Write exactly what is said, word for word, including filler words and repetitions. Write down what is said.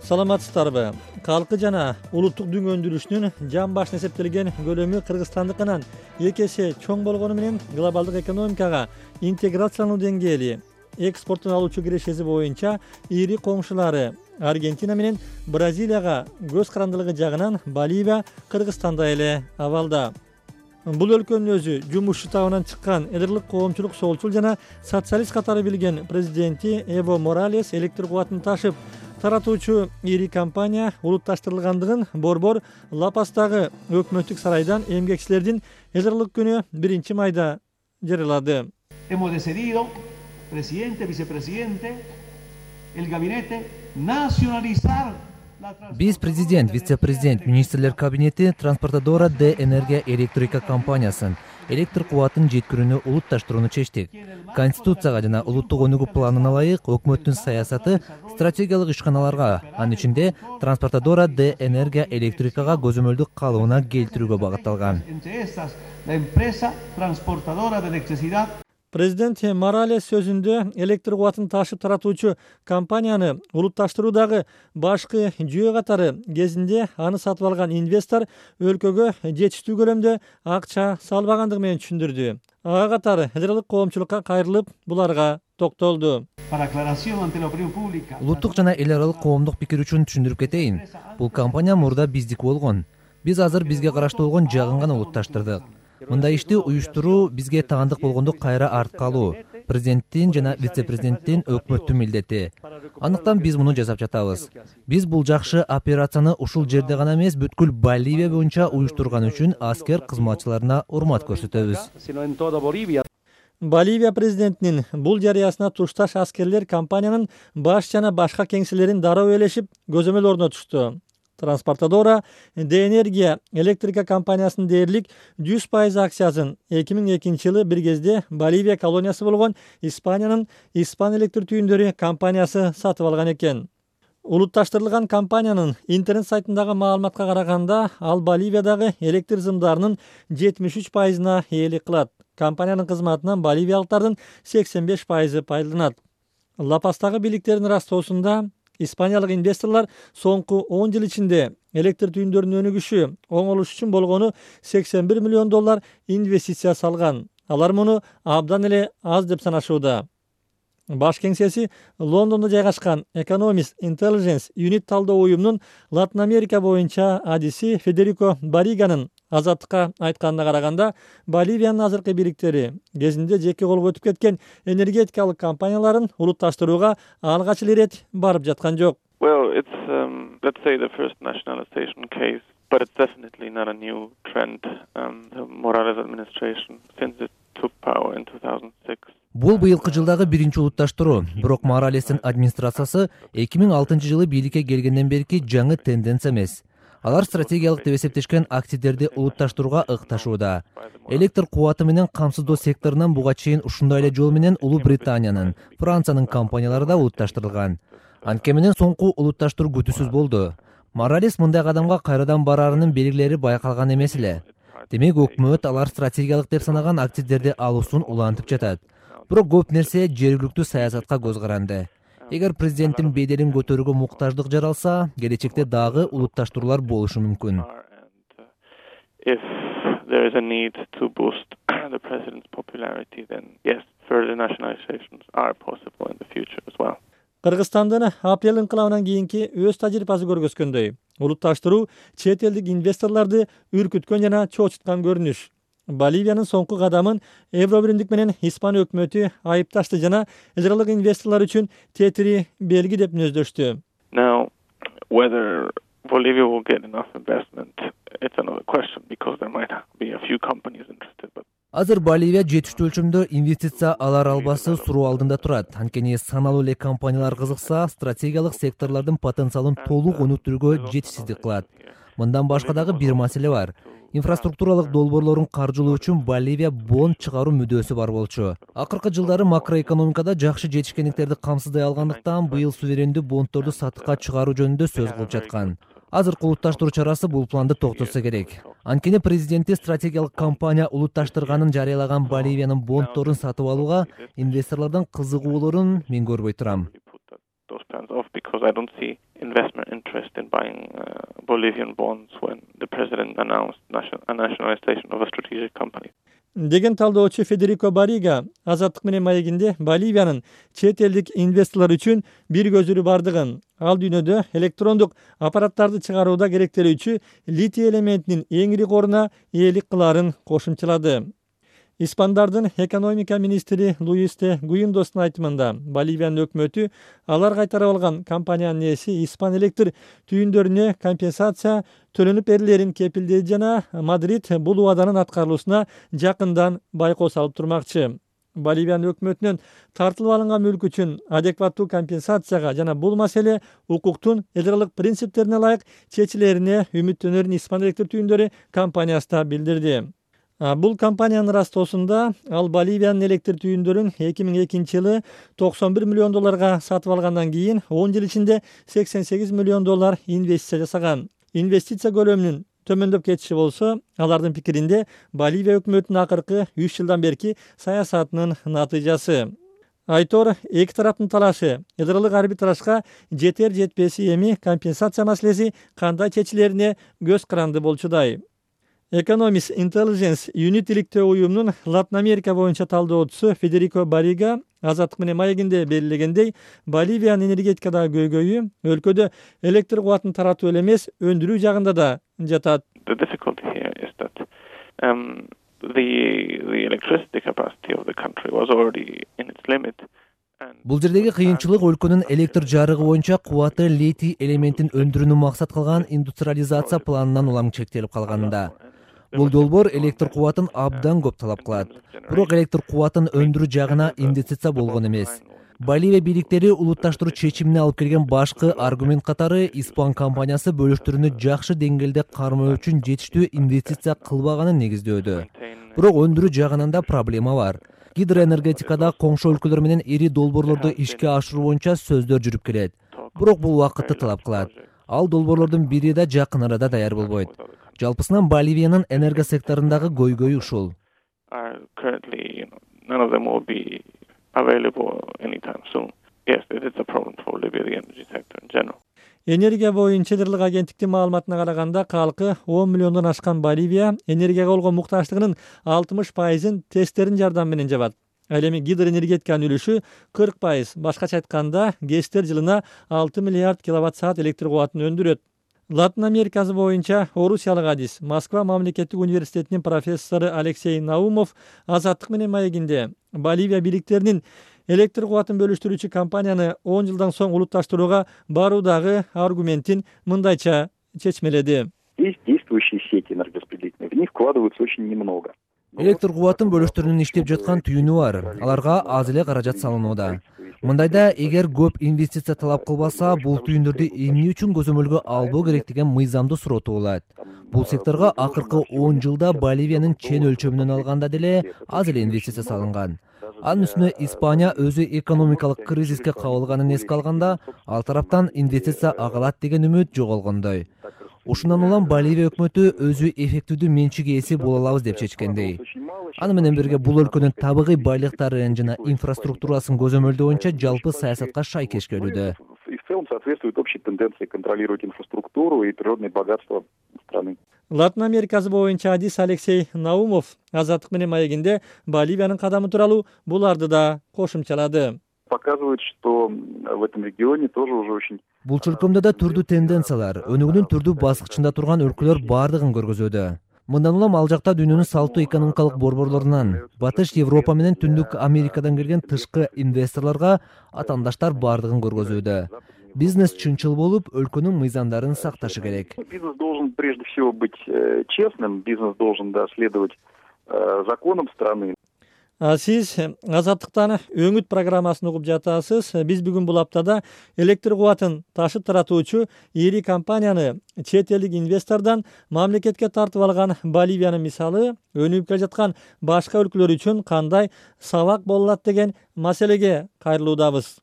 Саламатсыздарбы? Калкы жана улуттук дүң өндүрүшүнүн жан башына эсептелген көлөмү Кыргызстандыкынан эки эсе чоң болгону менен глобалдык экономикага интеграциялануу деңгээли экспорттун алуучу кирешеси боюнча ири коңшулары Аргентина менен Бразилияга көз карандылыгы жагынан Боливия Кыргызстандай эле абалда. Бул өлкөнүн өзү жумушчу табынан чыккан элдик коомчулук солчул жана социалист катары билген президенти Эво Моралес электр кубатын ташып таратуучу ири компания улутташтырылгандыгын борбор Ла-Пастагы өкмөттүк сарайдан эмгекчилердин элдик күнү биринчи майда жарыялады. Hemos decidido, presidente, vicepresidente, el gabinete nacionalizar. Биз президент, вице-президент, министрлер кабинети Транспортадора де Энергия Электрика компаниясын электр кубатын жеткирүүнү улутташтырууну чечтик. Конституцияга жана улуттук өнүгүү планына ылайык өкмөттүн саясаты стратегиялык ишканаларга, анын ичинде Транспортадора де Энергия Электрикага көзөмөлдүк калыбына келтирүүгө багытталган. Президент Моралес сөзүндө электр кубатын ташып таратуучу компанияны улутташтыруудагы башкы жүйө катары кезинде аны сатып алган инвестор өлкөгө жетиштүү көлөмдө акча салбагандыгы менен түшүндүрдү. Ага катары элдик коомчулукка кайрылып буларга токтолду. Улуттук жана эл аралык коомдук пикир үчүн түшүндүрүп кетейин. Бул компания мурда биздики болгон. Биз азыр бизге караштуу болгон жагын гана улутташтырдык. Мындай ишти уюштуруу бизге таандык болгондо кайра артка алуу президенттин жана вице-президенттин өкмөттүн милдети. Андыктан биз муну жасап жатабыз. Биз бул жакшы операцияны ушул жерде гана эмес, бүткүл Боливия боюнча уюштурган үчүн аскер кызматчыларына урмат көрсөтөбүз. Боливия президентинин бул жарыясына тушташ аскерлер компаниянын баш жана башка кеңселерин дароо ээлешип көзөмөл орнотушту. Транспортадора де Энергия Электрика компаниясынын дээрлик жүз пайыз акциясын эки миң экинчи жылы бир кезде Боливия колониясы болгон Испаниянын Испан электр түйүндөрү компаниясы сатып алган экен. Улутташтырылган компаниянын интернет сайтындагы маалыматка караганда, ал Боливиядагы электр зымдарынын жетимиш үч пайызына ээлик кылат. Компаниянын кызматынан боливиялыктардын сексен беш пайызы пайдаланат. Ла-Пастагы бийликтердин ырастоосунда Испаниялык инвесторлор соңку он жыл ичинде электр түйүндөрүнүн өнүгүшү оңолуш үчүн болгону сексен бир миллион доллар инвестиция салган. Алар муну абдан эле аз деп санашууда. Баш кеңсеси Лондондо жайгашкан Economist Intelligence Unit талдоо уюмунун Латын Америка боюнча адиси Федерико Бариганын Азаттыкка айтканына караганда, Боливиянын азыркы бийликтери кезинде жеке колго өтүп кеткен энергетикалык компанияларын улутташтырууга алгач эле ирет барып жаткан жок. Well, it's um, let's say the first nationalization case, but it's definitely not a new trend. Um, the Morales administration, since it took power in two thousand six. Бул быйылкы жылдагы биринчи улутташтыруу. Бирок Моралестин администрациясы эки миң алтынчы жылы бийликке келгенден берки жаңы тенденция эмес. Алар стратегиялык деп эсептешкен активдерди улутташтырууга ыкташууда. Электр кубаты менен камсыздоо секторунан буга чейин ушундай эле жол менен Улуу Британиянын, Франциянын компаниялары да улутташтырылган. Анткени менен соңку улутташтыруу күтүүсүз болду. Моралес мындай кадамга кайрадан бараарынын белгилери байкалган эмес эле. Демек өкмөт алар стратегиялык деп санаган активдерди алуусун улантып жатат. Бирок көп нерсе жергиликтүү саясатка көз каранды. Эгер президенттин беделин көтөрүүгө муктаждык жаралса, келечекте дагы улутташтыруулар болушу мүмкүн. If there is a need to boost the president's popularity, then yes, further nationalizations are possible in the future as well. Кыргызстандын апрель инкылабынан кийинки өз тажрыйбасы көргөзгөндөй, улутташтыруу чет элдик инвесторлорду үркүткөн жана чоочуткан көрүнүш. Боливиянын соңку кадамын Евробиримдик менен Испан өкмөтү айыпташты жана элдик инвесторлор үчүн тетири белги деп мүнөздөштү. Now, whether Bolivia will get enough investment, it's another question because there might be a few companies interested. But Азыр Боливия жетиштүү өлчөмдө инвестиция алар албасы суроо алдында турат. Анткени саналуу эле компаниялар кызыкса, стратегиялык секторлордун потенциалын толук өнүктүрүүгө жетишсиздик кылат. Мындан башка дагы бир маселе бар. Инфраструктуралык долбоорлорун каржылоо үчүн Боливия бонд чыгаруу мүдөөсү бар болчу. Акыркы жылдары макроэкономикада жакшы жетишкендиктерди камсыздай алгандыктан быйыл суверендүү бонддорду сатыкка чыгаруу жөнүндө сөз кылып жаткан. Азыркы улутташтыруу чарасы бул планды токтотсо керек. Анткени президенти стратегиялык компания улутташтырганын жарыялаган Боливиянын бонддорун сатып алууга инвесторлордун кызыгуулорун мен көрбөй турам. investment interest in buying uh, Bolivian bonds when the president announced nation- a nationalization of a strategic company. Деген талдоочу Федерико Барига Азаттык менен маегинде Боливиянын чет элдик инвесторлор үчүн бир көзүрү бардыгын, ал дүйнөдө электрондук аппараттарды чыгарууда керектелүүчү литий элементинин эң ири коруна ээлик кылаарын кошумчалады. Испандардын экономика министри Луис де Гуиндостун айтымында Боливиянын өкмөтү алар кайтарып алган компаниянын ээси Испан электр түйүндөрүнө компенсация төлөнүп берилерин кепилдейт жана Мадрид бул убаданын аткарылуусуна жакындан байкоо салып турмакчы. Боливиянын өкмөтүнөн тартылып алынган мүлк үчүн адекваттуу компенсацияга жана бул маселе укуктун элдирлык принциптерине ылайык чечилерине үмүттөнөрүн Испан электр түйүндөрү компаниясы да билдирди. Бул компаниянын растоосунда ал Боливиянын электр түйүндөрүн эки миң экинчи жылы токсон бир миллион долларга сатып алгандан кийин он жыл ичинде сексен сегиз миллион доллар инвестиция жасаган. Инвестиция көлөмүнүн төмөндөп кетиши болсо, алардын пикиринде Боливия өкмөтүнүн акыркы үч жылдан берки саясатынын натыйжасы. Айтор эки тараптын талашы ядролук арбитражга жетер жетпеси эми компенсация маселеси кандай чечилерине көз каранды болчудай. Economist Intelligence Unit иликтөө уюмунун Латын Америка боюнча талдоочусу Федерико Барига Азаттык менен маегинде белгилегендей, Боливиянын энергетикадагы көйгөйү өлкөдө электр кубатын таратуу эле эмес, өндүрүү жагында да жатат. The difficulty here is that um, the the electricity capacity of the country was already in its limit. Бул жердеги кыйынчылык өлкөнүн электр жарыгы боюнча кубаты литий элементин өндүрүүнү максат кылган индустриализация планынан улам чектелип калганында. Бул долбоор электр кубатын абдан көп талап кылат. Бирок электр кубатын өндүрүү жагына инвестиция болгон эмес. Боливия бийликтери улутташтыруу чечимине алып келген башкы аргумент катары Испан компаниясы бөлүштөрүнү жакшы деңгээлде кармоо үчүн жетиштүү инвестиция кылбаганын негиздөөдө. Бирок өндүрүү жагынан да проблема бар. Гидроэнергетикада коңшу өлкөлөр менен ири долбоорлорду ишке ашыруу боюнча сөздөр жүрүп келет. Бирок бул убакытты талап кылат. Ал долбоорлордун бири да жакын арада даяр болбойт. Жалпысынан Боливиянын энерго секторундагы көйгөйү ушул. Энергия боюнча Чедерлик агенттиктин маалыматына караганда, калкы он миллиондон ашкан Боливия энергияга болгон муктаждыгынын алтымыш пайызын тесттердин жардамы менен жабат. Ал эми гидроэнергетиканын үлүшү кырк пайыз. Башкача айтканда, ГЭСтер жылына алты миллиард киловатт саат электр кубатын өндүрөт. Латын Америкасы боюнча орусиялык адис Москва мамлекеттик университетинин профессору Алексей Наумов Азаттык менен маегинде Боливия бийликтеринин электр кубатын бөлүштүрүүчү компанияны он жылдан соң улутташтырууга баруудагы аргументин мындайча чечмеледи. Есть действующие сети энергораспределительные, в них вкладываются очень немного. Электр кубатын бөлүштөрүнүн иштеп жаткан түйүнү бар. Аларга аз эле каражат салынууда. Мындайда эгер көп инвестиция талап кылбаса, бул түйүндөрдү эмне үчүн көзөмөлгө албоо керек деген мыйзамдуу суроо туулат. Бул секторго акыркы он жылда Боливиянын чен өлчөмүнөн алганда деле аз эле инвестиция салынган. Анын үстүнө Испания өзү экономикалык кризиске кабылганын эске алганда, ал тараптан инвестиция агалат деген үмүт жоголгондой. Ушундан улам Боливия өкмөтү өзү эффективдүү менчик ээси боло алабыз деп чечкендей. Аны менен бирге бул өлкөнүн табигый байлыктарын жана инфраструктурасын көзөмөлдөө боюнча жалпы саясатка шайкеш келүүдө. В целом соответствует общей тенденции контролировать инфраструктуру и природные богатства страны. Латын Америкасы боюнча адис Алексей Наумов Азаттык менен маегинде Боливиянын кадамы тууралуу буларды да кошумчалады. Показывает, что в этом регионе тоже уже очень... Бул чөлкөмдө да түрдүү тенденциялар, өнүгүүнүн түрдүү баскычында турган өлкөлөр бардыгын көргөзүүдө. Мындан улам ал жакта дүйнөнүн салттуу экономикалык борборлорунан, Батыш Европа менен Түндүк Америкадан келген тышкы инвесторлорго атаандаштар бардыгын көргөзүүдө. Бизнес чынчыл болуп, өлкөнүн мыйзамдарын сакташы керек. Бизнес должен прежде всего быть честным, бизнес должен следовать законам страны. Сиз Азаттыктан өңүт программасын угуп жатасыз. Биз бүгүн бул аптада электр кубатын ташып таратуучу ири компанияны чет элдик инвестордон мамлекетке тартып алган Боливиянын мисалы өнүгүп келе жаткан башка өлкөлөр үчүн кандай сабак боло алат деген маселеге кайрылуудабыз.